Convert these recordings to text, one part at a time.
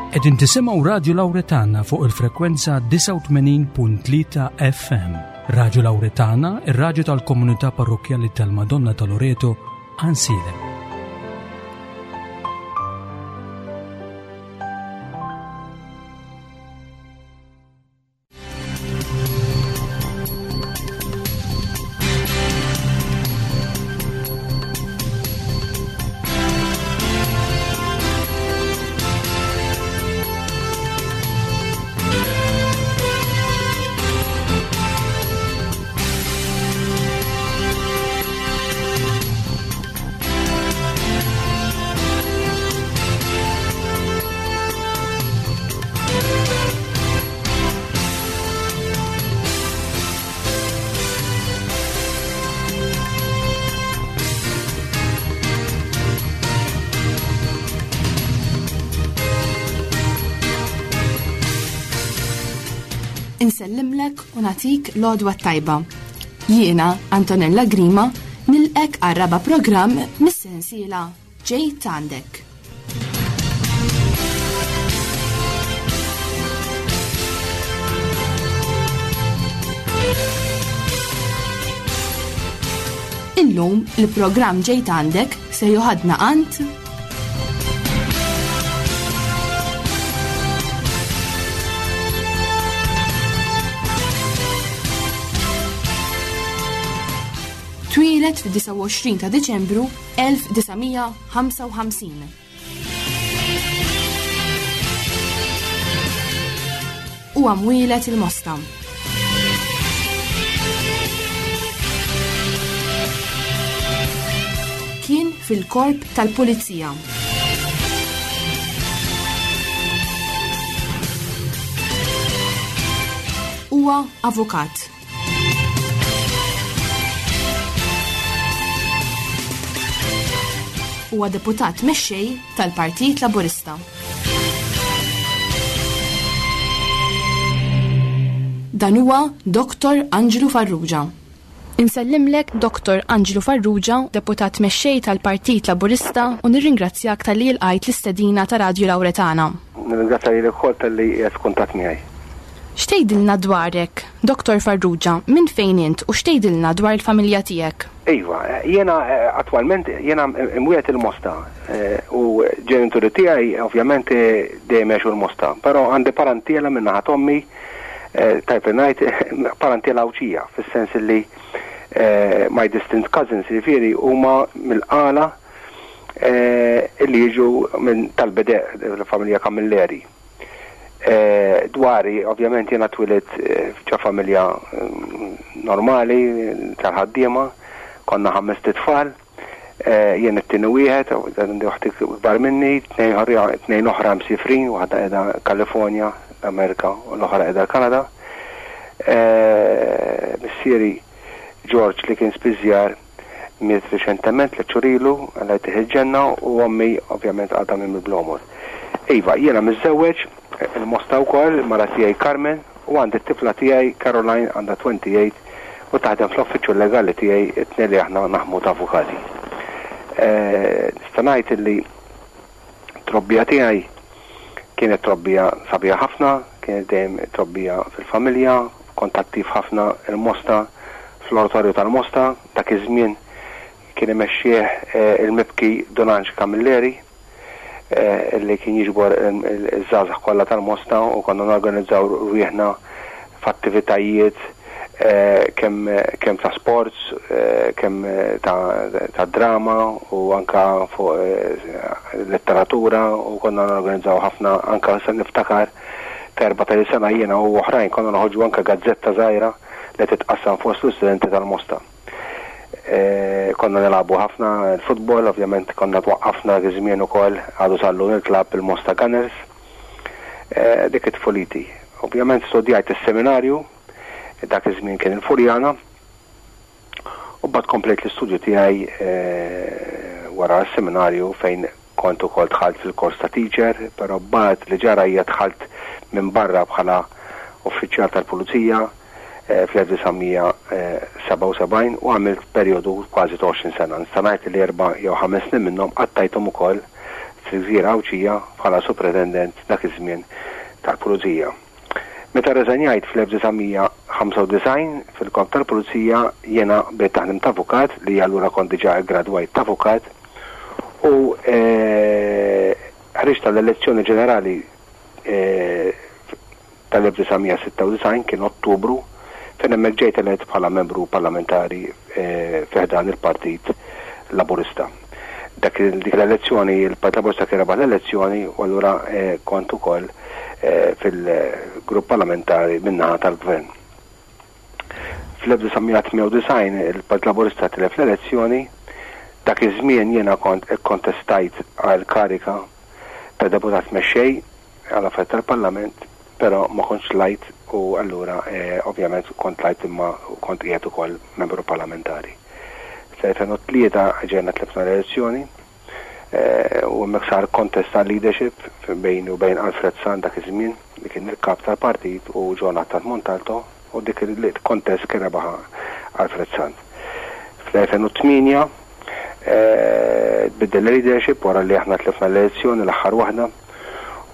Qegħdin tisimgħu Radju Lawretana fuq il-frekwenza 89.3 FM. Radju Lawretana, ir-radju tal-komunità parrokkjali tal-Madonna ta' Loreto, Ansilem. Insellimlek u natik l-għodwa tajba. Jiena, Antonella Grima, nilqek għar-raba programm mis-sensiela Ġejt għandek. Illum il-programm Ġejt għandek se joħadna għand Twieled fid-29 ta' Diċembru 1955. Huwa mwieled il-Mosta. Kien fil-korp tal-Pulizija. Huwa avukat. Huwa deputat mexxej tal-Partit Laburista. Dan huwa Dr. Anġlu Farrugia. Insellimlek Dr. Anġlu Farrugia, deputat mexxej tal-Partit Laburista u nirringrazzjak talli ilqajt l-istedina ta' Radju Lawretana. Nirringrazzja lilek ukoll talli qiegħed f'kuntatt miegħi. X'tgħidilna dwarek, Dottor Farrugia, minn fejn int u x'tgħidilna dwar il-familja tiegħek? Iva, jiena attwalment jiena imwieled il-Mosta u ġenituri tiegħi ovvjament dejjem għexu l-Mosta, però għandi parantiela minn naħa t'ommi, tajjeb li ngħid parantiela Għawdxija fis-sens li my distant cousins jiġifieri huma mill-Qala illi jiġu minn tal-Bedeq, il-familja Camilleri. Dwari, ovvjament jiena twilidt ġo familja normali tal-ħaddiema, konna ħamest itfal, jien it-tieni wieħed, għandi oħti kbar minni, tnejn oħra msifrin, waħda qiegħda Kalifornja, l-Amerika, u l-oħra qiegħda l-Kanada. Missieri George li kien spiżjar Miet riċentement, tlett xhur ilu, Alla jtih il-ġenna, u ommi ovvjament għadha minn Blomor. Iva, jiena miżżewweġ, il-Mosta wkoll, il-mara tiegħi Carmen, u għandi t-tifla tiegħi Caroline għandha 28 u taħdem fl-uffiċċju legali tiegħi, it-tnejn li aħna naħdmu ta' avukati. Nista' ngħid illi t-trobbija tiegħi kienet trobbija sabiħa ħafna, kienet dejjem trobbija fil-familja, Kont attiv ħafna il-Mosta, fl-Oratorju tal-Mosta, dak iż-żmien kien imexxih il-mibki Dun Anġ Camilleri li kien jiġbor iż-żgħażagħ kollha tal-Mosta u konna norganizzaw rwieħna f'attivitajiet kemm kemm ta' sports, kemm ta' drama u anke fuq letteratura u konna norganizzaw ħafna anke niftakar Ta' 14-il sena jiena u oħrajn konna noħorġu anke gazzetta żgħira li titqassam fost l-istudenti tal-Mosta. Konna nilagħbu ħafna l-futbol, ovvjament konna twaqqafna dak iż-żmien ukoll, għadu sal-lum il-klabb il-Mosta Gunners. Dik it-tfuliti. Ovvjament studjajt is-seminarju, dak iż-żmien kien il-Furjana, u mbagħad komplejt l-istudju tiegħi wara s-seminarju fejn Kont ukoll dħalt fil-kors ta' teacher, però mbagħad li ġara hija dħalt minn barra bħala uffiċjal tal-pulizija fl-1977 u għamilt perjodu kważi ta' 20 sena. Nista' ngħid li erba' jew ħames snin minnhom qattajthom ukoll fil-Gżira Għawdxija bħala Supretendent dak iż-żmien tal-Pulizija. Meta rreżenjajt fl-1995 fil-Korp tal-Pulizija jiena bdejt naħdem ta' avukat li allura kont diġà ggradwajt ta' avukat u ħriġt għall-elezzjoni ġenerali tal-1996, kien Ottubru, fejn hemmhekk ġejt elett bħala membru parlamentari fi ħdan il-Partit Laburista. Dak dik l-elezzjoni il-Partit Laburista kien rebaħ l-elezzjoni u allura kont ukoll fil-grupp parlamentari min-naħa tal-Gvern. Fl-1998 il-Partit Laburista tilef l-elezzjoni, dak iż-żmien jiena kont ikkontestajt għal karika ta' deputat mexxej għal affarijiet tal-Parlament, però ma kontx tlajt u allura ovvjament kont tlajt imma kont qiegħed ukoll membru parlamentari. Fl-2003 ġejna tlifna l-elezzjoni u hemmhekk sar contest għal leadership bejni u bejn Alfred Sant dak iż-żmien li kien il-kap tal-partit u John Attard Montalto u dik il-contest kien rebaħha Alfred Sant. Fl-2008 Tbiddel il-leadership wara li aħna tlifna l-elezzjoni l-aħħar waħda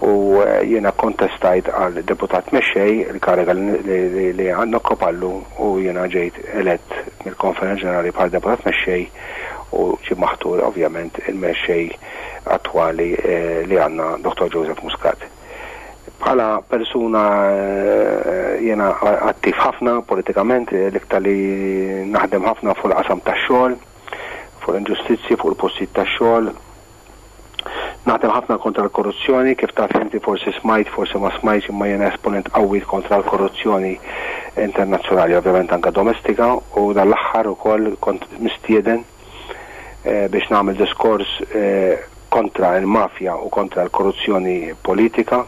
u jiena kkontestajt għal deputat mexxej, il-kariga li nokkopa llum u jiena ġejt elett mill-Konferenza Ġenerali bħala deputat mexxej u ġie maħtur ovvjament il-mexxej attwali li għandna Dottor Joseph Muscat. Bħala persuna jiena attiv ħafna politikament, l-iktar li naħdem ħafna fuq il-qasam tax-xogħol, fuq l-inġustizzji, fuq il-postijiet tax-xogħol. Naħdem ħafna kontra l-korruzzjoni, kif taf inti forsi smajt, forsi ma smajtx, imma jiena esponent qawwi kontra l-korruzzjoni internazzjonali, ovvjament anke domestika, u dan l-aħħar ukoll kont mistieden biex nagħmel diskors kontra l-mafja u kontra l-korruzzjoni politika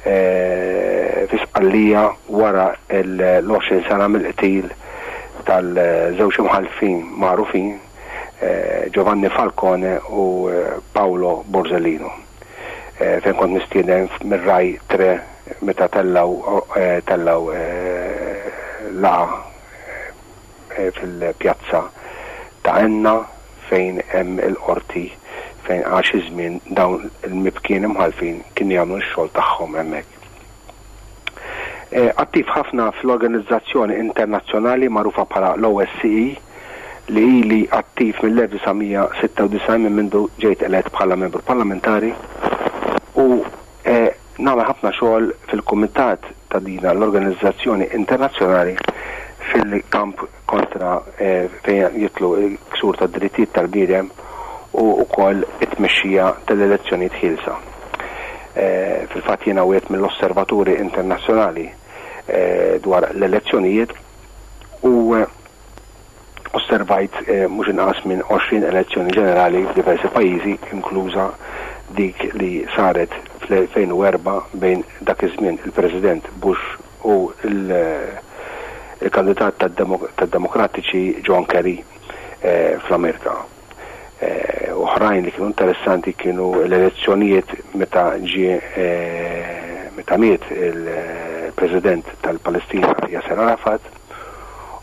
fi Sqallija wara l-20 sena mill-qtil tal-żewġ imħallfin magħrufin Giovanni Falcone u Paolo Borsellino fejn kont mistieden mir-Rai Tre meta tellgħu tellgħu laqgħa fil-pjazza ta' Enna fejn hemm il-Qorti fejn għal xi żmien dawn il-mibkien imħallfin kienu jagħmlu x-xogħol tagħhom hemmhekk. Attiv ħafna fl-organizzazzjoni internazzjonali magħrufa bħala l-OSCE li ili attiv mill-1996 minn mindu ġejt elett bħala membru parlamentari u Nagħmel ħafna xogħol fil-kumitat ta' dina l-organizzazzjoni internazzjonali fil-kamp kontra fejn jidħlu l-ksur tad-drittijiet tal-bniedem u wkoll it-tmexxija tal-elezzjonijiet ħielsa. Fil-fatt jiena wieħed mill-osservaturi internazzjonali dwar l-elezzjonijiet u Osservajt mhux inqas minn 20 elezzjoni ġenerali f'diversi pajjiżi, inkluża dik li saret fl-2004 bejn dak iż-żmien il-President Bush u l-kandidat tad-Demokratiċi John Kerry fl-Amerika. Oħrajn li kienu interessanti kienu l-elezzjonijiet meta ġie meta miet il-President tal-Palestina Yasser Arafat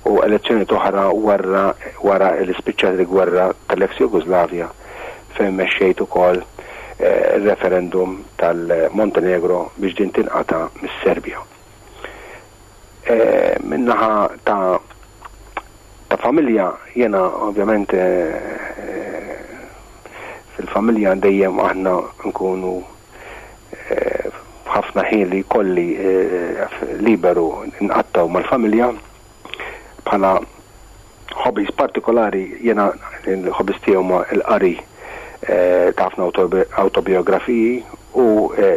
u elezzjonijiet oħra wara wara li spiċċat il-gwerra tal-ex Jugoslavja fejn mexxejt ukoll ir-referendum tal-Montenegro biex din tinqata' mis-Serbja. Min-naħa ta' ta' familja jiena ovvjament fil-familja dejjem aħna nkunu ħafna ħin li jkolli liberu nqattgħu mal-familja bħala hobbies partikolari jiena l-hobbies tiegħi huma l-qari ta' ħafna awtobiografiji u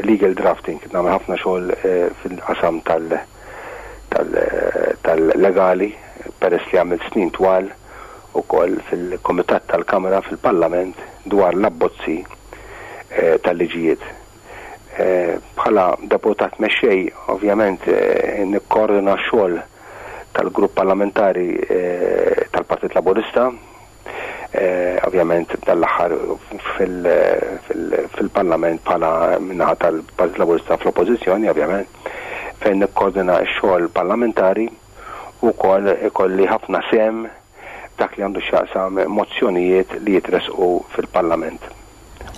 legal drafting. Nagħmel ħafna xogħol fil-qasam tal-legali peress li għamilt snin twal ukoll fil-Kumitat tal-Kamra fil-Parlament dwar l-abbozzi tal-liġijiet. Bħala Deputat Mexxej ovvjament nikkoordina x-xogħol tal-Grupp Parlamentari tal-Partit Laburista, ovvjament dan l-aħħar fil-Parlament bħala min-naħa tal-Partit Laburista fl-Oppożizzjoni ovvjament, fejn nikkoordina x-xogħol parlamentari u wkoll ikolli ħafna sehem f'dak li għandu x'jaqsam mozzjonijiet li jitressqu fil-Parlament.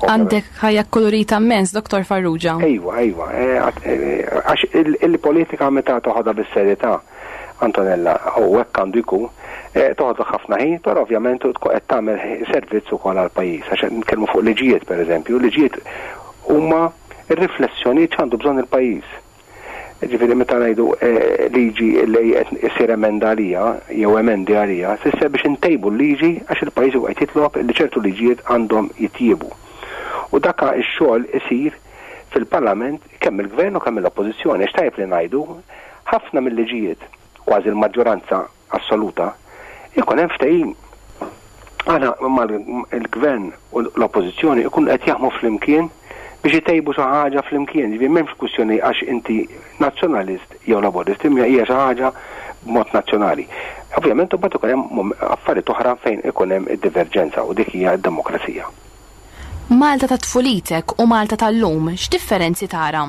Għandek ħajja kkolorita mmens, Dottor Farrugia. Ejwa, ejwa, għax il-politika meta toħodha bis-serjetà, Antonella, u hekk għandu jkun, toħodlok ħafna ħin, però ovvjament tkun qed tagħmel servizz ukoll għall-pajjiż. Għax qed nitkellmu fuq liġijiet, pereżempju, liġijiet huma r-riflessjonijiet x'għandu bżonn il-pajjiż. Ġifieri meta ngħidu liġi li qed issir emenda għalija jew emendi għalija, tfisser biex intejbu l-liġi għax il-pajjiż huwa qed jitlob li ċertu liġijiet għandhom jitjiebu. U dak ix-xogħol isir fil-Parlament kemm mill-Gvern u kemm mill-Oppożizzjoni għax tajjeb li ngħidu ħafna mill-liġijiet, kważi l-maġġoranza assoluta, ikun hemm ftehim. Aħna mal-gvern u l-oppożizzjoni ikunu qed jaħdmu flimkien biex itejbu xi ħaġa flimkien. Ġifieri m'hemmx kwistjoni għax inti nazzjonalist jew laburist, imma hija xi ħaġa b'mod nazzjonali. Ovvjament imbagħad ikun hemm affarijiet oħra fejn ikun hemm id-diverġenza u dik hija d-demokrazija. Malta ta' tfulitek u Malta tal-lum, x'differenzi tara?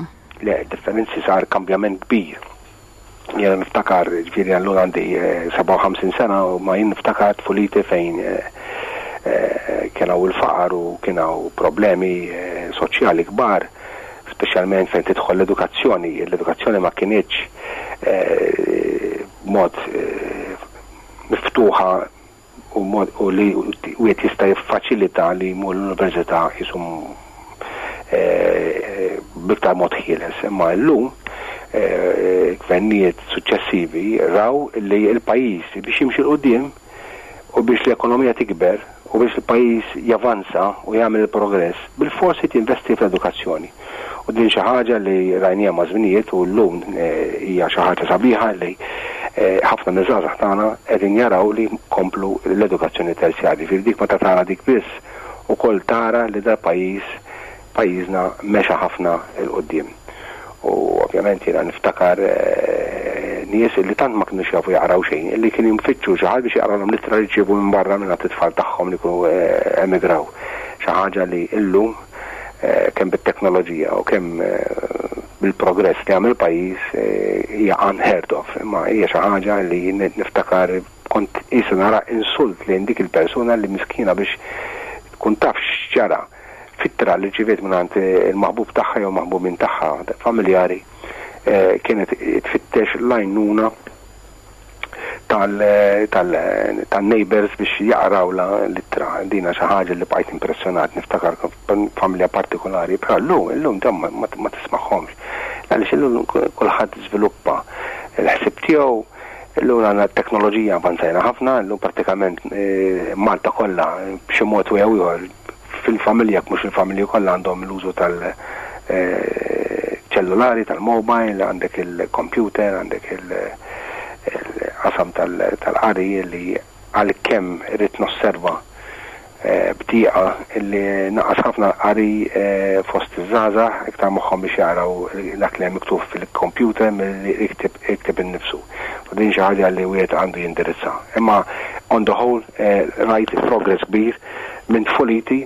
Le, differenzi sar kambjament kbir. Jiena niftakar, ġifieri allura għandi 57 eh, sena u ma jien niftakar tfuliti fejn eh, eh, kien hawn il-faqar u kien hawn problemi soċjali kbar, speċjalment fejn tidħol l-edukazzjoni. L-edukazzjoni ma kinitx mod miftuħa u mod u li wieħed jista' jiffaċilita li jmur l-università qisu eh, b'iktar mod ħieles. Imma llum eh, gvernijiet suċċessivi raw li l-pajjiż biex jimxi 'l quddiem u biex l-ekonomija tikber u biex il-pajjiż javanza u jagħmel il-progress, bilfors irid jinvesti fl-edukazzjoni. U din xi ħaġa li rajniha maż-żminijiet u llum hija xi ħaġa sabiħa li ħafna miż-żgħażagħ tagħna qegħdin jaraw li jkomplu l-edukazzjoni terzjarja. Jiġifieri dik meta tara dik biss ukoll tara li dal-pajjiż pajjiżna mexa ħafna 'l quddiem. U ovvjament jiena niftakar nies li tant ma kinux jafu jaqraw xejn li kienu jfittxu xi ħadd biex jaqralhom l-ittra li rċievu minn barra mingħand it-tfal tagħhom li jkunu emigraw. Xi ħaġa li llum kemm bit-teknoloġija u kemm bil-progress li għamel pajjiż hija unheard of, imma hija xi ħaġa li niftakar kont qisu nara insult lejn dik il-persuna li miskina biex tkun taf x'ġara f'ittra li rċiviet mingħand il-maħbub tagħha jew maħbubin tagħha familjari kienet tfittex l-għajnuna tan-neighbours biex jaqrawlha l-ittra. Din xi ħaġa li bqajt impressjonat, niftakar familja partikolari, però llum, illum dawn ma tismagħhomx. Għaliex illum kulħadd żviluppa l-ħsieb tiegħu, illum għandna t-teknoloġija avanzajna ħafna, illum prattikament Malta kollha b'xi mod jew ieħor fil-familja, jekk mhux il-familji kollha għandhom l-użu tal- ċellulari, tal-mobile, għandek il-computer, għandek il-qasam tal-qari li għalkemm irrid nosserva b'dieqa li naqas ħafna l-qari fost iż-żgħażagħ, iktar moħħhom biex jaqraw dak li hemm miktub fil-computer milli jikteb innifsu. U din xi ħaġa li wieħed għandu jindirizza. Imma on the whole rajt progress kbir minn tfuliti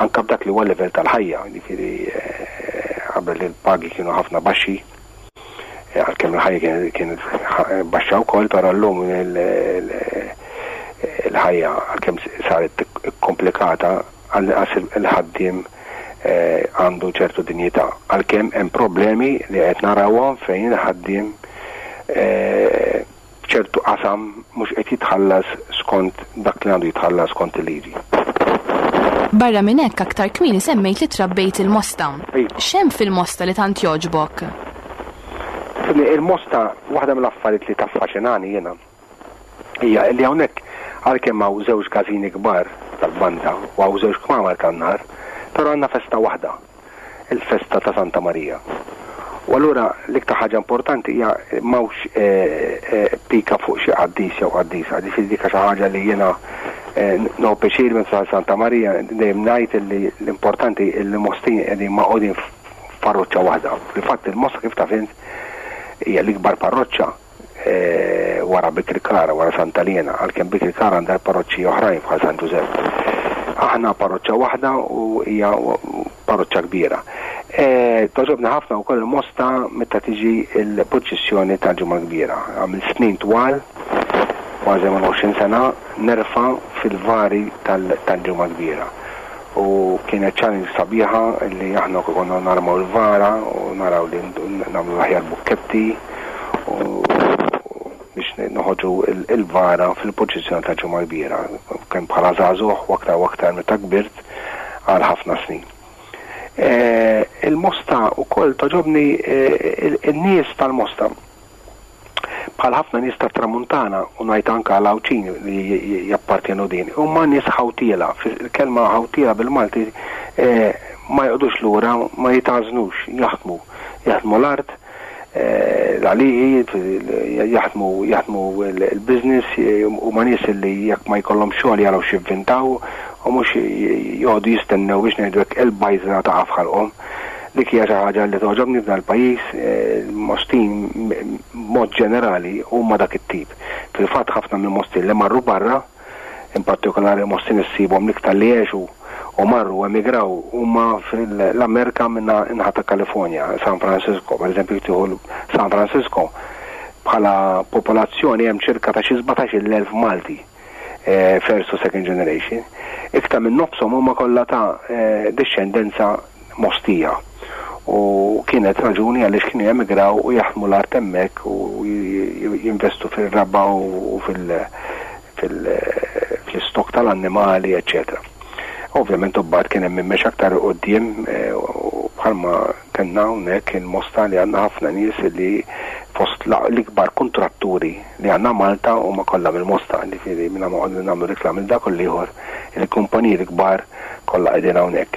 anke b'dak li huwa l-livell tal-ħajja, jiġifieri qabel il-pagi kienu ħafna baxxi, għalkemm il-ħajja kienet baxxa wkoll, però llum il-ħajja għalkemm saret komplikata għall-inqas il-ħaddiem għandu ċertu dinjità. Għalkemm hemm problemi li qed narawhom fejn il-ħaddiem f'ċertu qasam mhux qed jitħallas skont dak li għandu jitħallas skont il-liġi. Barra minn hekk aktar kmieni semmejt li trabbejt il-Mosta. Iva. X'hemm fil-Mosta li tant jogħġbok? Ifhimni, il-Mosta waħda mill-affarijiet li taffaxinani jiena hija li hawnhekk għalkemm hawn żewġ każini kbar tal-banda u hawn żewġ kmamar tan-nar, però għandna festa waħda. il-festa ta' Santa Marija. U allura l-iktar ħaġa importanti hija m'hawnx pika fuq xi qaddis jew qaddisa. Ġifieri dik xi ħaġa li jiena nieħu pjaċir meta Santa Marija dejjem ngħid li l-importanti li l-Mostin qegħdin magħqudin f'parroċċa waħda. Fil-fatt il-Mosta kif taf int hija l-ikbar parroċċa wara Bikirkara, wara Santa Liena, għalkemm Bikirkara għandha parroċċi oħrajn bħal San Ġużepp. Aħna parroċċa waħda u hija parroċċa kbira. E, Togħġobni ħafna wkoll il-Mosta meta tiġi l-purċissjoni tal-Ġimgħa Kbira. Għamil snin twal, kważi 20 sena, nerfa' fil-vari tal-Ġimgħa Kbira. U Kienet challenge sabiħa li aħna konna narmaw il-vara u naraw li nagħmlu l-aħjar bukketti u biex noħorġu il-vara fil-purċissjoni tal-Ġimgħa l-Kbira, kemm bħala żagħżugħ u aktar u aktar meta kbirt għal ħafna snin. Il-Mosta wkoll togħġobni in-nies tal-Mosta. Bħal ħafna nies tat-Tramuntana, u ngħid anke għal Għawdxin li jappartjenu din, huma nies ħawtiela. Il-kelma ħawtiela bil-Malti ma joqogħdux lura, ma jitgħażnux, jaħdmu. Jaħdmu l-art, l-għalieqi, jaħdmu jaħdmu l-business, huma nies li jekk ma jkollhomx xogħol jaraw x'jivvintaw u mhux joqogħdu jistennew biex ngħidu hekk il-bajżra taqa' f'ħalqhom. Dik hija xi ħaġa li togħġobni f'dan il-pajjiż, il-Mostin b'mod ġenerali huma dak it-tip. Fil-fatt ħafna mill-Mostin li marru barra, in partikolari Mostin issibhom l-iktar li għexu u marru u emigraw huma fl-Amerika minn naħa ta' Kalifornja, San Francisco, pereżempju jekk tieħu San Francisco bħala popolazzjoni hemm ċirka ta' xi 17,000 Malti. First u second generation, iktar minn nofshom huma kollha ta' dixxendenza Mostija. U kienet raġuni għaliex kienu jemigraw u jaħdmu l-art hemmhekk u jinvestu fir-raba' u fl-istokk tal-annimali, eċċetera. Ovvjament u mbagħad kien hemm min mexa aktar 'il quddiem bħalma kellna hawnhekk il-Mosta li għandna ħafna nies li fost l-ikbar kuntratturi li għandna Malta huma kollha mill-Mosta, jiġifieri mingħajr ma noqogħdu nagħmlu reklam lil dak u l-ieħor, il-kumpaniji l-kbar kollha qegħdin hawnhekk.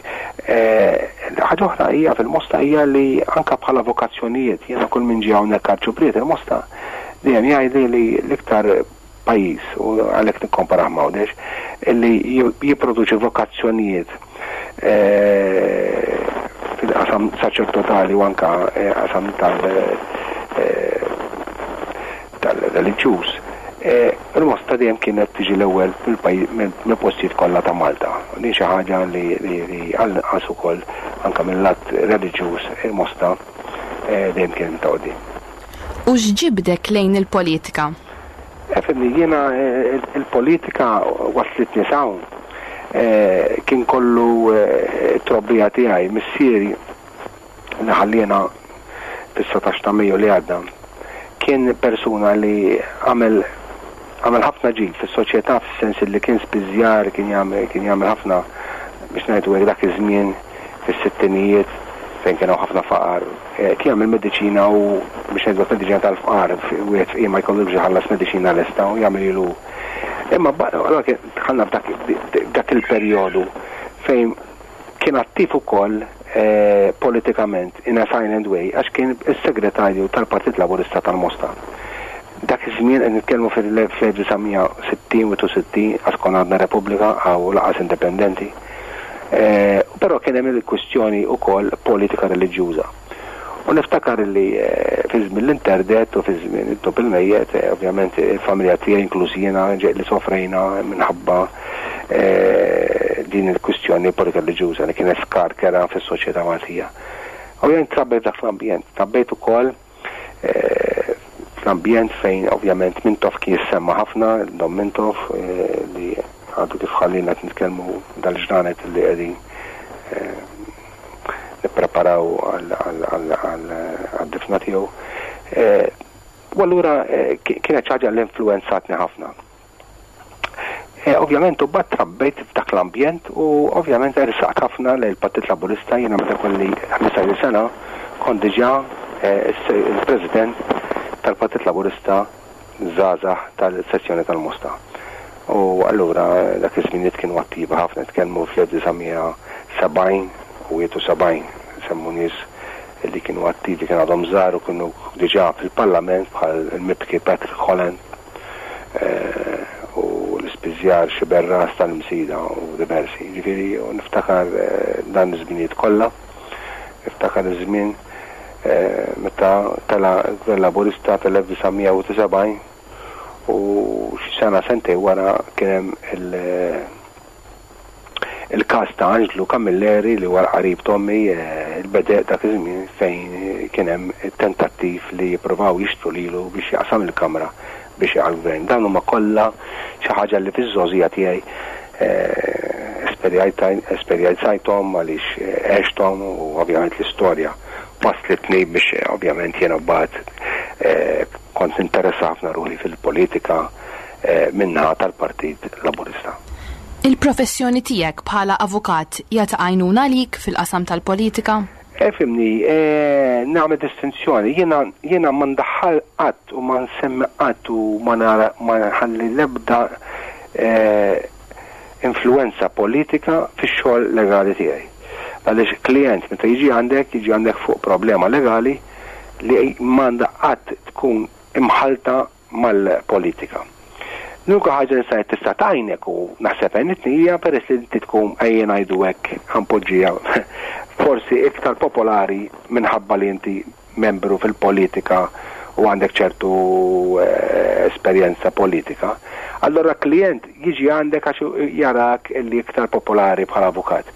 Ħaġa oħra hija fil-Mosta hija li anke bħala vokazzjonijiet, jiena kull min ġie hawnhekk Arċipriet il-Mosta dejjem jgħidli li l-iktar pajjiż, u għalhekk nikkomparah ma' Għawdex, li jipproduċi vokazzjonijiet fil-qasam saċerdotali u anke qasam tal-reliġjuż, il-Mosta dejjem kienet tiġi l-ewwel mill-postijiet kollha ta' Malta. Din xi ħaġa li għall-inqas ukoll anke mill-lat reliġjuż il-Mosta dejjem kienet ta' quddiem. U x'ġibdek lejn il-politika? Fimni, jiena il-politika waslitni s'hawn. Kien kollu t-trobbija tiegħi, missieri li ħalliena fis-17 ta' Mejju li għadda, kien persuna li għamel għamel ħafna ġid fis-soċjetà fis-sens li kien spiżjar, kien jagħmel kien jagħmel ħafna biex ngħidu hekk dak iż-żmien fis-sittinijiet fejn kien hawn ħafna faqar. Kien jagħmel mediċina u biex ngħidu hekk mediċina tal-fqar, wieħed fqir ma jkollux iħallas mediċina lesta u jagħmel hu. Imma allura kien dħalna f'dak il-perjodu fejn kien attiv ukoll politikament in a silent way għax kien is-segretarju tal-Partit Laburista tal-Mosta. Dak iż-żmien qed nitkellmu fil-1960 61 għax konna għadna Repubblika u laqas indipendenti. Però kien hemm il-kwistjoni wkoll politika reliġjuża. U niftakar li fi żmien l-interdett u fi żmien it-Top il-Mejjet, ovvjament il-familja tiegħi inkluż jiena li sofrejna minħabba din il-kwistjoni politika reliġjuża li kienet skar kera fis-soċjetà Maltija. Ovvjament trabbejt f'dak l-ambjent, trabbejt ukoll fl-ambjent fejn ovvjament Mintoff kien jissemma ħafna, Dom Mintoff li għadu kif ħallina qed nitkellmu dal-ġranet li qegħdin nippreparaw għad-difna tiegħu. U allura kienet xi ħaġa li influwenzatni ħafna. Ovvjament u bat trabbejt f'dak l-ambjent u ovvjament ersaqt ħafna lejn il-Partit Laburista jiena meta kelli 15-il sena kont diġà il-President tal-Partit Laburista żgħażagħ tal-sezzjoni tal-Mosta. U allura dak iż-żminijiet kienu attivi ħafna, nitkellmu fl-1970 u 71, nsemmu nies li kienu attivi kienu għadhom żgħar u kienu diġà fil-Parlament bħal il-mibki Patrick Holland u l-ispiżjar Xiberras tal-Msida u diversi. Ġifieri niftakar dan iż-żminijiet kollha, niftakar iż-żmien meta tela' l-Gvern Laburista fil-1979 u xi sena sentejn wara kien hemm il-każ ta' Anġlu Camilleri li huwa l-qarib t'ommi il-bedeq dak iż-żmien fejn kien hemm tentattiv li jippruvaw jixtru lilu biex jaqsam il-Kamra biex jaqa' l-Gvern. Dawn huma kollha xi ħaġa li fiż-żgħożija tiegħi. esperjenzajthom, għaliex għexthom u ovvjament l-istorja waslitni biex ovvjament jiena mbagħad kont ninteressa ħafna ruħi fil-politika min-naħa tal-Partit Laburista. Il-professjoni tiegħek bħala avukat hija ta' għajnuna għalik fil-qasam tal-politika? Ifhimni, nagħmel distinzjoni. Jiena jiena ma ndaħħal qatt u ma nsemmi qatt u ma nara ma nħalli l-ebda influwenza politika fix-xogħol legali tiegħi. Għaliex klijent meta jiġi għandek, jiġi għandek fuq problema legali li m'għandha qatt tkun imħallta mal-politika. L-unika ħaġa li ngħid tista' tgħinek u naħseb għenitni hija peress li inti tkun ejja ngħidu hekk ħa npoġġiha forsi iktar popolari minħabba li inti membru fil-politika u għandek ċertu esperjenza politika, allura klijent jiġi għandek għax jarak li iktar popolari bħala avukat.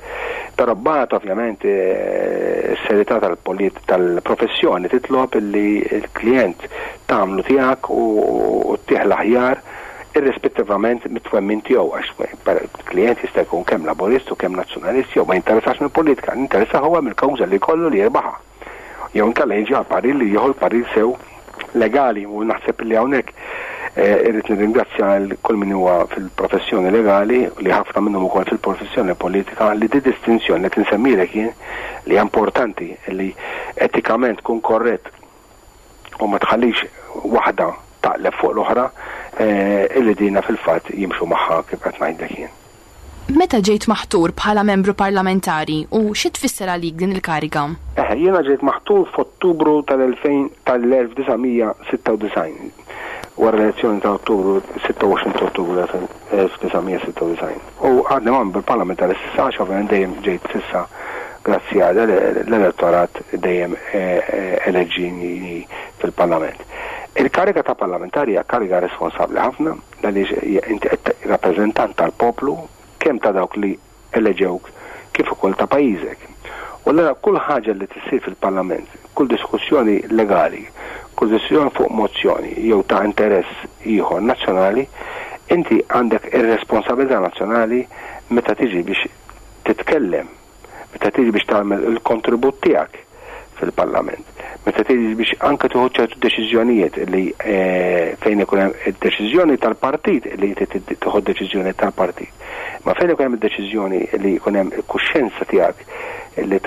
Però mbagħad ovvjament is-serjetà tal-professjoni titlob li l-klijent tagħmlu tiegħek u ttih l-aħjar irrispettivament mit-twemmin tiegħu għax klijent jista' jkun kemm Laburist u kemm Nazzjonalist jew ma jinteressax mill-politika, jinteressah huwa mill-kawża li jkollu li jirbaħha. Jew inkella jiġi għal parir li jieħu l-parir sew legali u naħseb li hawnhekk irrid nirringrazzja l kull min huwa fil-professjoni legali li ħafna minnhom ukoll fil-professjoni politika li di distinzjoni li tinsemmilek jien li hija importanti li etikament tkun korrett u ma tħallix waħda taqleb fuq l-oħra illi dina fil-fatt jimxu magħha kif qed ngħidlek jien. Meta ġejt maħtur bħala membru parlamentari u xi tfisser għalik din il-kariga? Eħe, jiena ġejt maħtur f'Ottubru tal-2000 tal-1996, wara l-elezzjoni ta' Ottubru, 26 ta' Ottubru 1996. U għadni membru parlamentari s'issa għax ovvjament dejjem ġejt s'issa grazzi għal l-elettorat dejjem eleġġini fil-Parlament. Il-kariga ta' parlamentari hija kariga responsabbli ħafna, Għaliex inti qed rappreżentant tal-poplu kemm ta' dawk li eleġewk kif ukoll ta' pajjiżek. U allura kull ħaġa li tissir fil-Parlament, kull diskussjoni legali, kull diskussjoni fuq mozzjoni jew ta' interess ieħor nazzjonali, inti għandek ir-responsabilità nazzjonali meta tiġi biex titkellem meta tiġi biex tagħmel il-kontribut tiegħek fil-Parlament, meta tiġi biex anke tieħu ċertu deċiżjonijiet li eh, fejn ikun hemm id-deċiżjoni tal-partit li inti tieħu deċiżjoni tal-partit. Ma fejn ikun hemm id-deċiżjoni li jkun hemm il-kuxjenza tiegħek li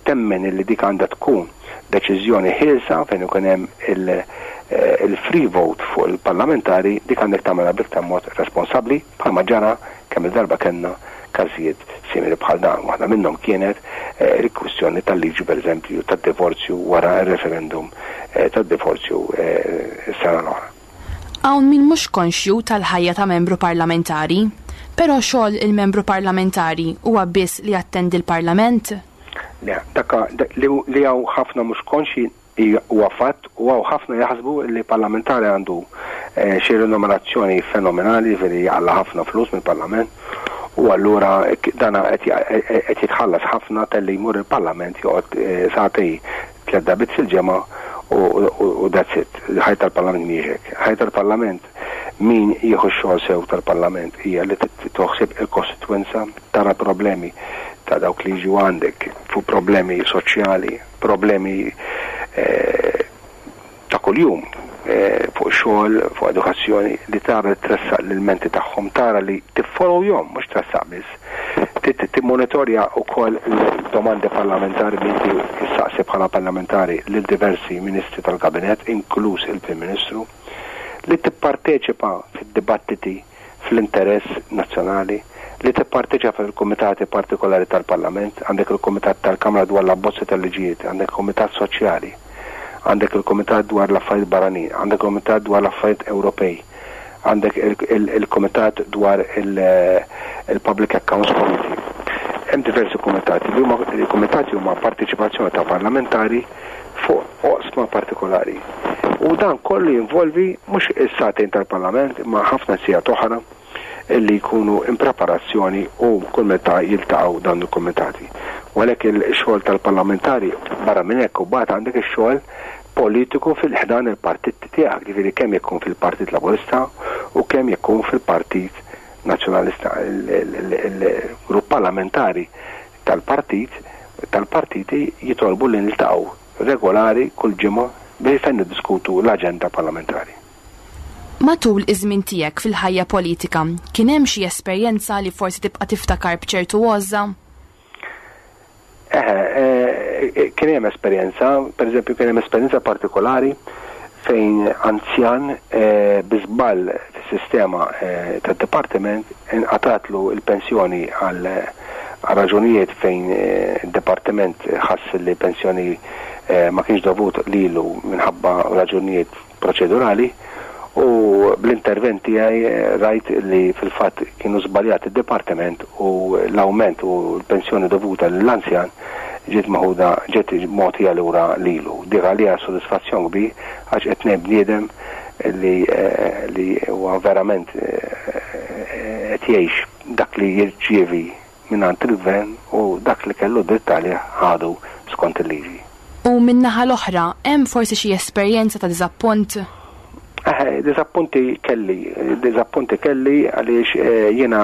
temmen li dik għandha tkun deċiżjoni ħielsa fejn ikun hemm il-free vote fuq il-parlamentari dik għandek tagħmilha b'iktar mod responsabbli bħalma ġara kemm il-darba kellna każijiet simili bħal dan. Waħda minnhom kienet il-kwistjoni tal-liġi pereżempju tad-divorzju wara r-referendum tad-divorzju s-sena l-oħra. Hawn min mhux konxju tal-ħajja ta' membru parlamentari. Però xogħol il-membru parlamentari huwa biss li jattendi l-Parlament? Le, dak li hawn ħafna mhux konxji Huwa fatt u hawn ħafna jaħsbu li parlamentari għandu xi renumerazzjoni fenomenali, jiġifieri jaqla' ħafna flus mill-Parlament u allura dan qed jitħallas ħafna talli jmur il-Parlament joqgħod sagħtej tlett darbiet fil-ġimgħa u that's it. Il-ħajja tal-Parlament mhijiex hekk. Il-ħajja tal-Parlament min jieħu x-xogħol sew tal-Parlament hija li toħsib il-kostitwenza, tara problemi ta' dawk li jiġu għandek fuq problemi soċjali, problemi ta' kuljum fuq xogħol, fuq edukazzjoni, li tara li tressaq l-ilmenti tagħhom, tara li tiffollowjhom, mhux tressaq biss. Timmonitorja wkoll l-domandi parlamentari li inti ssaqsi bħala parlamentari lil diversi ministri tal-kabinett, inkluż il-Prim Ministru, li tipparteċipa fid-dibattiti fl-interess nazzjonali, li tipparteċipa fil-kumitati partikolari tal-Parlament, għandek il-Kumitat tal-Kamra dwar l-Abbozzi tal-Liġijiet, għandek il-Kumitat Soċjali, għandek il-Kumitat dwar l-Affarijiet Barranin, għandek il-Kumitat dwar l-Affarijiet Ewropej, għandek il-Kumitat dwar il-Public Accounts Committee. Hemm diversi kumitati li huma il-kumitati huma parteċipazzjoni ta' parlamentari fuq oqsma partikolari. U dan kollu jinvolvi mhux is-sagħtejn tal-Parlament imma ħafna sigħat oħra illi jkunu in preparazzjoni u kull meta jiltaqgħu dawn il-kumitati. U għalhekk il-xogħol tal-parlamentari barra minn hekk u bagħad għandek ix-xogħol politiku fil-ħdan il-partit tiegħek, ġifieri kemm jekk fil-Partit Laburista u kemm jekk fil-Partit. Nazzjonalista, il-grupp parlamentari tal-partit, tal-partiti jitolbu li niltaqgħu regolari kull ġimgħa biex fejn niddiskutu l-aġenda parlamentari. Matul iż-żmien tiegħek fil-ħajja politika, kien hemm xi esperjenza li forsi tibqa' tiftakar b'ċertu għożża? Eħe, kien hemm esperjenza, pereżempju kien hemm esperjenza partikolari fejn anzjan bi żball fis-sistema tad-dipartiment inqatatlu l-pensjoni għal raġunijiet fejn id-dipartiment ħass li pensjoni ma kienx dovut lilu minħabba raġunijiet proċedurali u bl-intervent tiegħi rajt li fil-fatt kienu żbaljat id-dipartiment u l-awment u l-pensjoni dovuta lill-anzjan ġiet meħuda ġiet mogħtija lura lilu. Dik għalija sodisfazzjon kbir għax qed ngħin bniedem li li huwa verament qed jgħix dak li jirċievi mingħand il-Gvern u dak li kellu dritt għalih ħadu skont il-liġi. U min-naħa l-oħra, hemm forsi xi esperjenza ta' diżappunt? Eħe, diżappunti kelli, diżappunti kelli għaliex jiena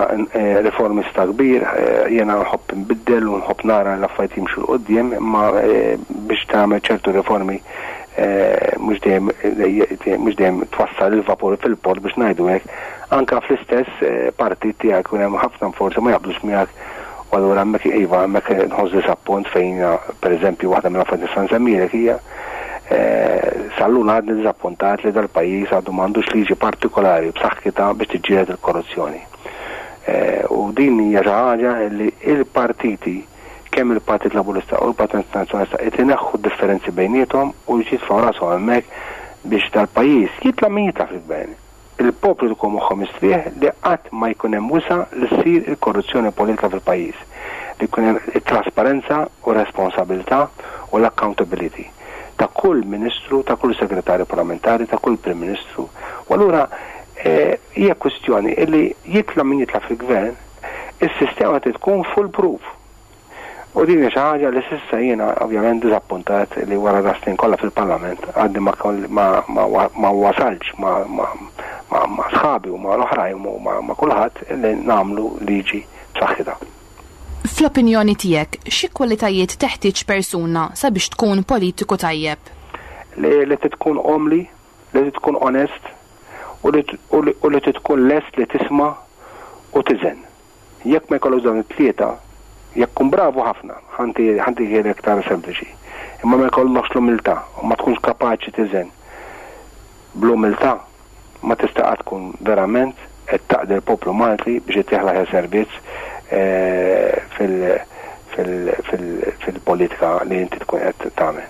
riformista kbir, jiena nħobb inbiddel u nħobb nara l-affarijiet jimxu 'l quddiem, imma biex tagħmel ċertu riformi mhux dejjem mhux dejjem twassal il-vapur fil-port biex ngħidu hekk, anke fl-istess partit tiegħek ikun hemm ħafna forsi ma jaqblux miegħek u allura hemmhekk iva hemmhekk nħoss diżappunt fejn pereżempju waħda mill-affarijiet nista' nsemmilek hija sal-lum għadni diżappuntat li dal-pajjiż għadu m'għandux liġi partikolari b'saħħitha biex tiġġieled il-korruzzjoni. U din hija xi ħaġa li l-partiti kemm il-Partit Laburista u l-Partit Nazzjonalista qed ineħħu d-differenzi bejniethom u jitfgħu rashom hemmhekk biex dal-pajjiż jitla' min jitla' fil-gvern. Il-poplu jkun moħħu mistrieħ li qatt ma jkun hemm wisa' li ssir il-korruzzjoni politika fil-pajjiż, li jkun hemm it-trasparenza u r-responsabilità u l-accountability ta' kull ministru, ta' kull segretarju parlamentari, ta' kull Prim Ministru. U allura hija kwistjoni li jitla' min jitla' fil-gvern, Is-sistema trid tkun foolproof. U din hija xi ħaġa li s'issa jiena ovvjament diżappuntat li wara da snin kollha fil-Parlament għadni ma ma ma ma wasaltx ma ma ma ma sħabi u ma l-oħrajn u ma ma kulħadd li nagħmlu liġi b'saħħitha. Fl-opinjoni tiegħek, xi kwalitajiet teħtieġ persuna sabiex tkun politiku tajjeb? Li li trid tkun umli, li trid tkun onest u li u li trid tkun lest li tisma' u tiżen. Jekk ma jkollokx dawn it-tlieta, jekk tkun bravu ħafna, ħa ntihielek iktar sempliċi, imma ma jkollokx l-umiltà u ma tkunx kapaċi tiżen bl-umiltà, ma tista' qatt tkun verament qed taqdi l-poplu Malti biex ittih l-aħjar servizz fil-politika li inti tkun qed tagħmel.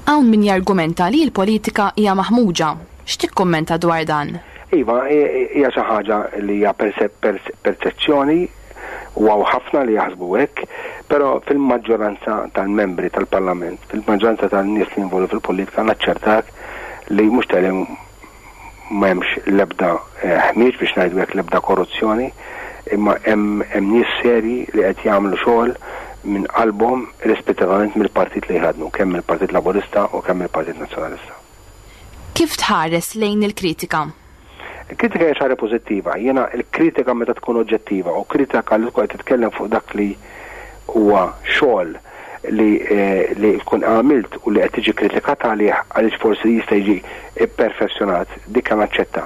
Hawn min jargumenta li l-politika hija maħmuġa. X'tikkummenta dwar dan? Iva, hija xi ħaġa li hija perċezzjoni u hawn ħafna li jaħsbu hekk, però fil-maġġoranza tal-membri tal-Parlament, fil-maġġoranza tan-nies li jinvolvu fil-politika naċċertak li mhux talli m'hemmx l-ebda ħmieġ biex ngħidu hekk l-ebda korruzzjoni, imma hemm hemm nies serji li qed jagħmlu xogħol minn qalbhom irrispettivament mill-partit li jħaddnu, kemm mill-Partit Laburista u kemm mill-Partit Nazzjonalista. Kif tħares lejn il-kritika? Il-kritika hija xi ħaġa pożittiva. Jiena l-kritika meta tkun oġġettiva u kritika li tkun qed titkellem fuq dak li huwa xogħol li li tkun għamilt u li qed tiġi kritikat għalih għaliex forsi jista' jiġi pperfezzjonat, dik naċċetta.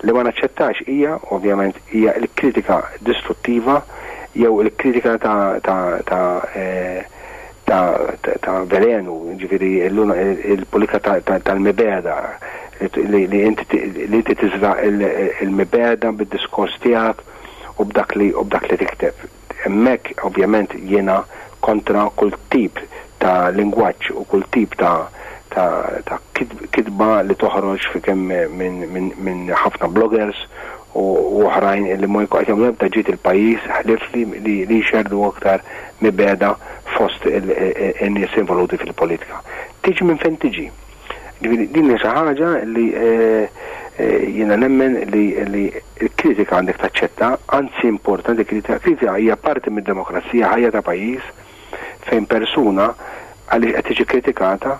Li ma naċċettax hija, ovvjament, hija l-kritika distruttiva jew il-kritika ta' ta' ta' ta' ta' velenu, jiġifieri il-politika tal-mibegħda li li inti li inti tiżra' il-mibegħda bid-diskors tiegħek u b'dak li u b'dak li tikteb. Hemmhekk ovvjament jiena kontra kull tip ta' lingwaġġ u kull tip ta' ta' ta' kitba li toħroġ fi kemm minn minn minn ħafna bloggers u oħrajn li ma jkun qed jagħmlu ebda ġid il-pajjiż ħlief li li li jxerrdu aktar mibegħda fost in-nies involuti fil-politika. Tiġi minn fejn tiġi. Ġifieri din hija xi ħaġa li jiena nemmen li l-kritika għandek taċċetta, anzi importanti kritika, kritika hija parti mid-demokrazija ħajja ta' pajjiż fejn persuna għaliex qed tiġi kritikata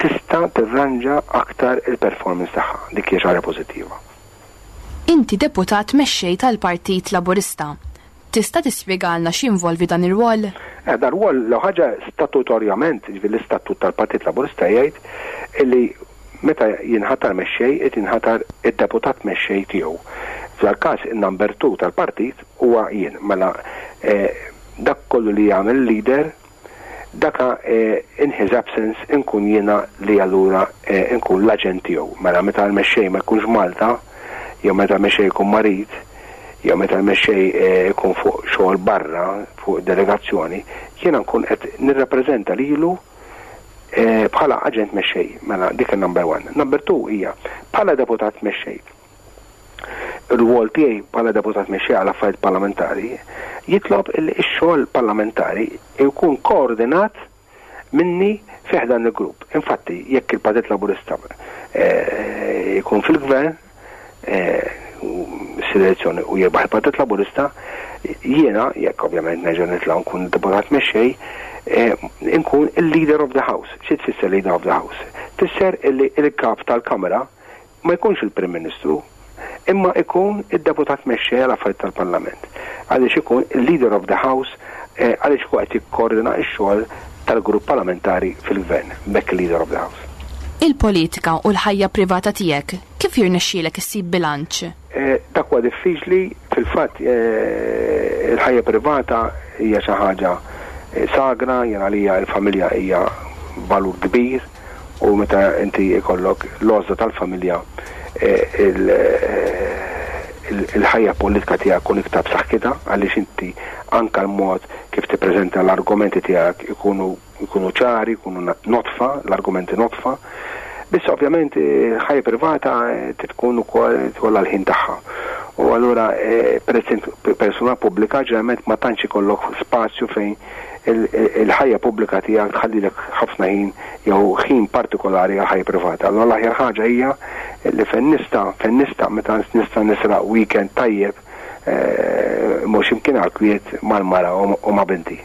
tista' tirranġa aktar il-performance tagħha. Dik hija xi ħaġa pożittiva. Inti deputat mexxej tal-Partit Laburista. Tista' tispjegalna x'jinvolvi dan ir-rwol? Eh, dan rwol l ħaġa statutorjament, jiġifieri l-istatut tal-Partit Laburista jgħid li meta jinħatar mexxej qed jinħatar id-deputat mexxej tiegħu. F'dal-każ in-number 2 tal-partit huwa jien. Mela eh, dak kollu li jagħmel leader daka in his absence inkun jiena li allura nkun l-aġent tiegħu. Mela meta l-mexxej ma jkunx Malta, jew meta l-mexxej ikun marid, jew meta l-mexxej ikun fuq xogħol barra, fuq delegazzjoni, jiena nkun qed nirrappreżenta lilu bħala aġent mexxej. Mela dik il-number one. Number two hija bħala deputat mexxej. Ir-rwol tiegħi bħala deputat mexxej għal affarijiet parlamentari jitlob li x-xogħol parlamentari jkun koordinat minni fi ħdan il-grupp. Infatti, jekk il-Partit Laburista eh, jkun fil-gvern, eh, selezzjoni u jirbaħ il-Partit Laburista, jiena, jekk ovvjament nerġa' nitla' nkun deputat mexxej, eh, nkun il-leader of the house. Xi tfisser leader of the house? Tfisser illi il-kap tal-Kamra ma jkunx il-Prim Ministru, imma ikun id-Deputat Mexxej għal Affarijiet tal-Parlament, għaliex ikun il-Leader of the House għaliex ikun qed jikkoordina x-xogħol tal-grupp parlamentari fil-Gvern, b'hekk il-Leader of the House. Il-politika u l-ħajja privata tiegħek, kif jirnexxielek issib bilanċ? Dak huwa diffiċli, fil-fatt il-ħajja privata hija xi ħaġa sagra, jien għalija l-familja hija valur kbir, U meta inti jkollok l-għożża tal-familja, il-ħajja politika tiegħek tkun iktar b'saħħitha għaliex inti anke l-mod kif tippreżenta l-argumenti tiegħek ikunu jkunu ċari, jkunu nodfa, l-argumenti nodfa. Biss ovvjament il-ħajja privata trid tkun ukoll tkollha l-ħin tagħha. U allura peress int persuna pubblika ġeneralment ma tantx ikollok spazju fejn il-ħajja pubblika tiegħek tħallilek ħafna ħin jew ħin partikolari għal ħajja privata. Allura l-aħjar ħaġa hija li fejn nista' fejn nista' meta nista' nisraq weekend tajjeb eh, mhux imkien għal kwiet mal-mara u ma' binti.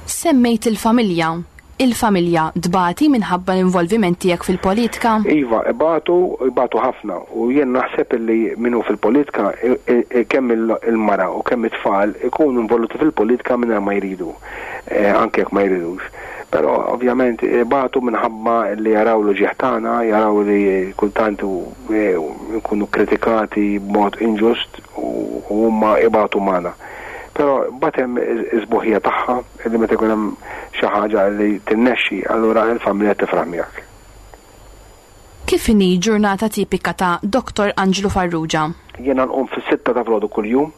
Semmejt il-familja. Il-familja tbati minħabba l-involviment tiegħek fil-politika? Iva, ibatu, ibatu ħafna. U jien naħseb li min hu fil-politika, kemm il-mara u kemm it-tfal ikunu involuti fil-politika mingħajr ma jridu, anke jekk ma jridux. Però ovvjament ibatu minħabba li jaraw l-uġigħ tagħna, jaraw li kultant nkunu kritikati b'mod inġust u huma ibatu magħna. Però mbagħad hemm is-sbuħija tagħha li meta jkun hemm xi ħaġa li tirnexxi, allura l-familja tifraħ miegħek. Kif inhi ġurnata tipika ta' Dottor Anġlu Farrugia? Jiena nqum fis-sitta ta' filgħodu kuljum,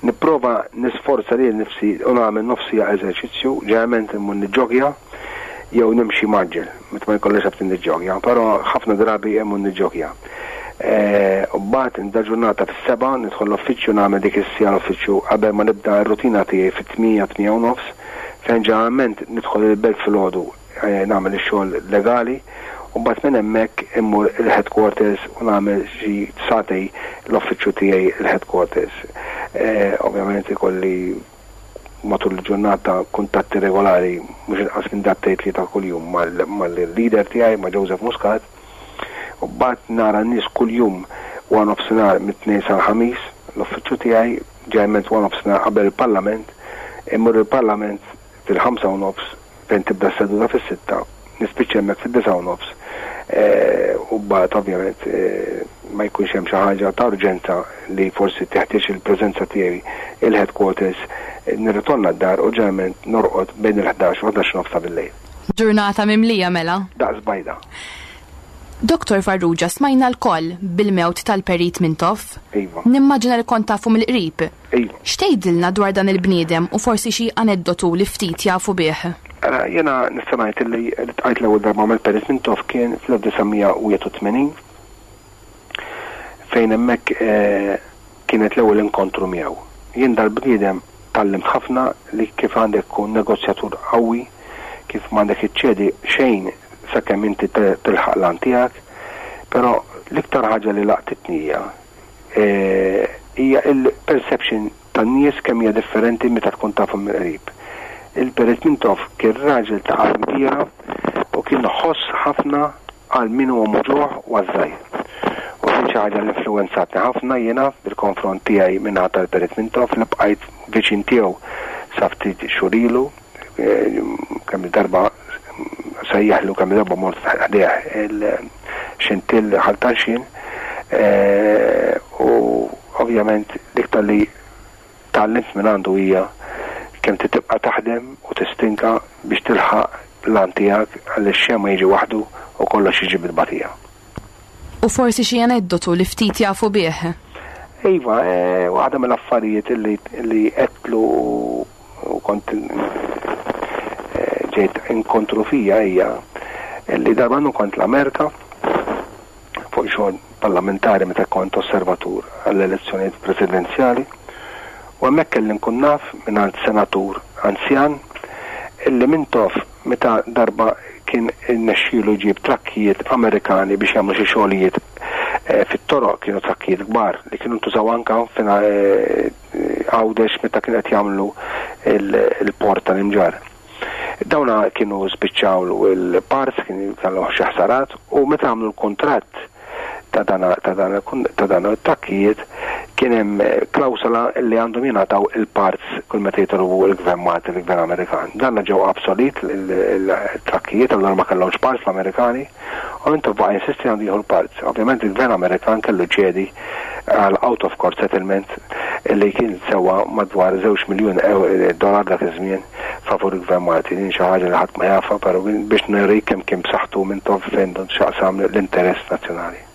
nipprova nisforza lili nnifsi u nagħmel nofs siegħa eżerċizzju, ġeneralment immur niġġogja jew nimxi mgħaġġel, meta ma jkollix għalfejn niġġogja, però ħafna drabi immur niġġogja. U mbagħad nibda ġurnata fis-sebgħa, nidħol l-uffiċċju nagħmel dik is-siegħa l-uffiċċju qabel ma nibda r-rutina tiegħi fit-tmienja, tmienja u nofs, fejn ġeneralment nidħol il-belt filgħodu nagħmel ix-xogħol legali u mbagħad minn hemmhekk immur il-headquarters u nagħmel xi sagħtej l-uffiċċju tiegħi il-headquarters. Ovvjament ikolli matul il-ġurnata kuntatti regolari mhux inqas minn darbtejn tlieta kuljum mal-leader tiegħi, ma' Joseph Muscat. U mbagħad nara n-nies kuljum wara nofsinhar mit-Tnejn sal-Ħamis, l-uffiċċju tiegħi, ġeneralment wara nofsinhar qabel il-Parlament, immur il-Parlament fil-ħamsa u nofs fejn tibda s-seduta fis-sitta, nispiċċa hemmhekk fid-disgħa u nofs u mbagħad ovvjament ma jkunx hemm xi ħaġa ta' urġenza li forsi teħtieġ il-preżenza tiegħi il-headquarters, nirritorna d-dar u ġeneralment norqod bejn il-ħdax u ħdax u nofs ta' bil-lejl. Ġurnata mimlija mela. Daqs bajda. Dottor Farrugia smajna lkoll bil-mewt tal-Perit Mintoff. Iva. Nimmaġina li kont tafu mill-qrib. Iva. X'tgħidilna dwar dan il-bniedem u forsi xi aneddotu li ftit jafu bih? Ara, jiena nista' ngħid li ltqajt l-ewwel darba mal-Perit Mintoff kien fl-1981 fejn hemmhekk kienet l-ewwel inkontru miegħu. Jien dal-bniedem tgħallimt ħafna li kif għandek tkun negozjatur qawwi, kif m'għandek iċċedi xejn sakemm inti tilħaq l-għan tiegħek, però l-iktar ħaġa li laqtitni hija hija l-perception tan-nies kemm hija differenti meta tkun tafhom mill-qrib. Il-Perit Mintoff kien raġel ta' qalb kbira u kien iħoss ħafna għal min huwa muġugħ u għaż-żgħir. U kien. xi ħaġa li influwenzatni ħafna jiena bil-konfront tiegħi min-naħa tal-Perit Mintoff li bqajt viċin tiegħu sa ftit xhur ilu, kemm il-darba sejjaħlu kemm il-darba mort ħdejh il-Xintill Ħal Tarxien u ovvjament l-iktar li tgħallimt mingħandu hija kemm trid tibqa' taħdem u tistinka biex tilħaq l-għan tiegħek għaliex xejn ma jiġi waħdu u kollox jiġi bil-tbatija. U forsi xi aneddotu li ftit jafu bih? Iva, waħda mill-affarijiet li għedtlu u kont ġejt inkontru fija hija li darba kont l-Amerika fuq xogħol parlamentari meta kont osservatur għall-elezzjonijiet presidenzjali u hemmhekk kelli nkun naf mingħand senatur anzjan illi Mintoff meta darba kien irnexxielu jġib trakkijiet Amerikani biex jagħmlu xi xogħlijiet fit-toroq, kienu trakkijiet kbar li kienu ntużaw anka Għawdex meta kienu qed jagħmlu l-port tal-Imġarr. Dawna kienu spiċċaw il-parts, kienu kellhom xi ħsarat u meta għamlu l-kuntratt ta' dan ta' dan ta' dan it-trakkijiet kien hemm klawsola li għandhom jingħataw il-parts kull meta jitolbu l-Gvern Malti l-Gvern Amerikan. Dan ġew obsolet il-trakkijiet allura ma kellhomx parts l-Amerikani u Mintoff baqa' jinsisti għandu jieħu l-parts. Ovvjament il-Gvern Amerikan kellu jċedi għal out of court settlement li kien sewa madwar żewġ miljun dollar dak iż-żmien favur il-Gvern Malti. Din xi ħaġa li ħadd ma jafha, però biex nurik kemm kien b'saħħtu Mintoff fejn x'jaqsam l-interess nazzjonali.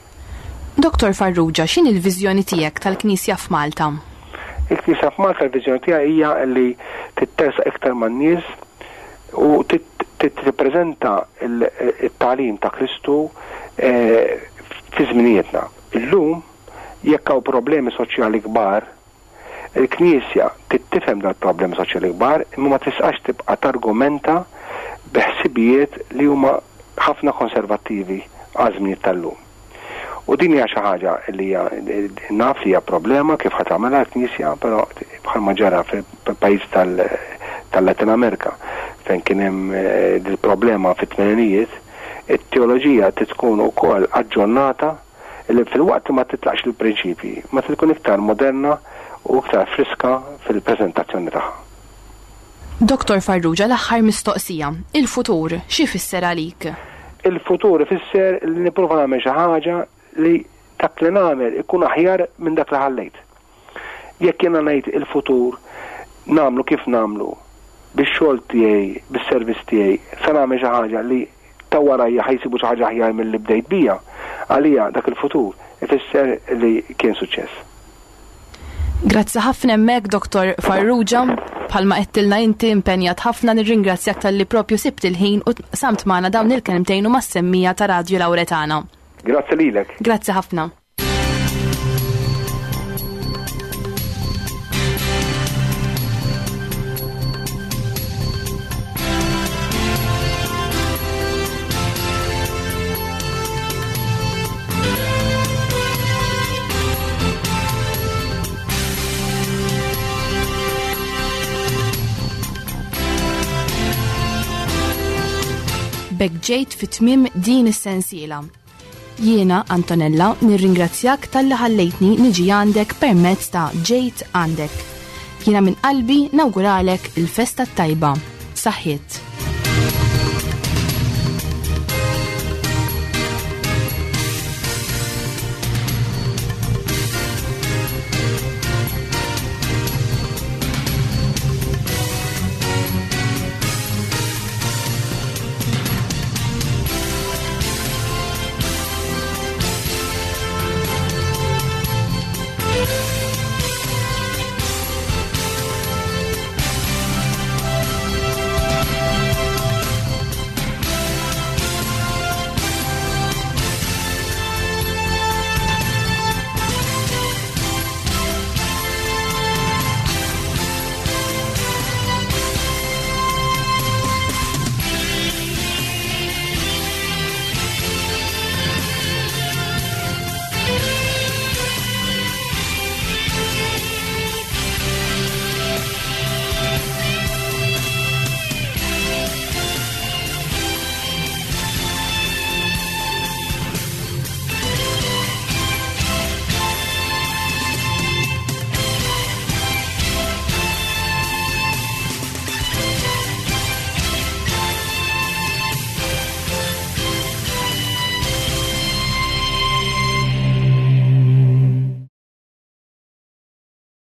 Dottor Farrugia, x'inhi l-viżjoni tiegħek tal-Knisja f'Malta? Il-Knisja f'Malta l-viżjoni tiegħi hija li tittersaq iktar man-nies u tirrappreżenta t-tagħlim ta' Kristu fi żminijietna. Illum, jekk hawn problemi soċjali kbar, il-Knisja trid tifhem dal-problemi soċjali kbar imma ma tisqax tibqa' targumenta bi ħsibijiet li huma ħafna konservattivi għaż-żminijiet tal-lum. U din hija xi ħaġa li hija naf li hija problema kif ħa tagħmilha l-Knisja, però bħalma ġara fil-pajjiż tal-Latin Amerika fejn kien hemm dil-problema fit-tmeninijiet, it-teoloġija trid tkun ukoll aġġornata li filwaqt li ma titlaqx il-prinċipji, ma trid tkun iktar moderna u iktar friska fil-preżentazzjoni tagħha. Dottor Farrugia, l-aħħar mistoqsija. Il-futur, xi jfisser għalik? Il-futur ifisser li nipprova nagħmel xi ħaġa li dak li nagħmel ikun aħjar minn dak li ħallejt. Jekk jiena ngħid il-futur nagħmlu kif nagħmlu, bix-xogħol tiegħi, bis-servizz tiegħi, se nagħmel xi ħaġa li ta' warajja ħa jsibu xi ħaġa aħjar milli bdejt bija, għalija dak il-futur ifisser li kien suċċess. Grazzi ħafna hemmhekk Dottor Farrugia, bħalma għedtilna inti impenjat ħafna nirringrazzjak talli propju sibt il-ħin u samt magħna dawn il-kelmtejn u mas-semmija ta' Radju Lauretana. Grazzi lilek. Grazzi ħafna. B'hekk ġejt fi tmiem din is-sensiela. Jiena, Antonella, nirringrazzjak talli ħallejtni niġi għandek permezz ta' Ġejt Għandek. Jiena minn qalbi nawguralek il-festa t-tajba. Saħħiet.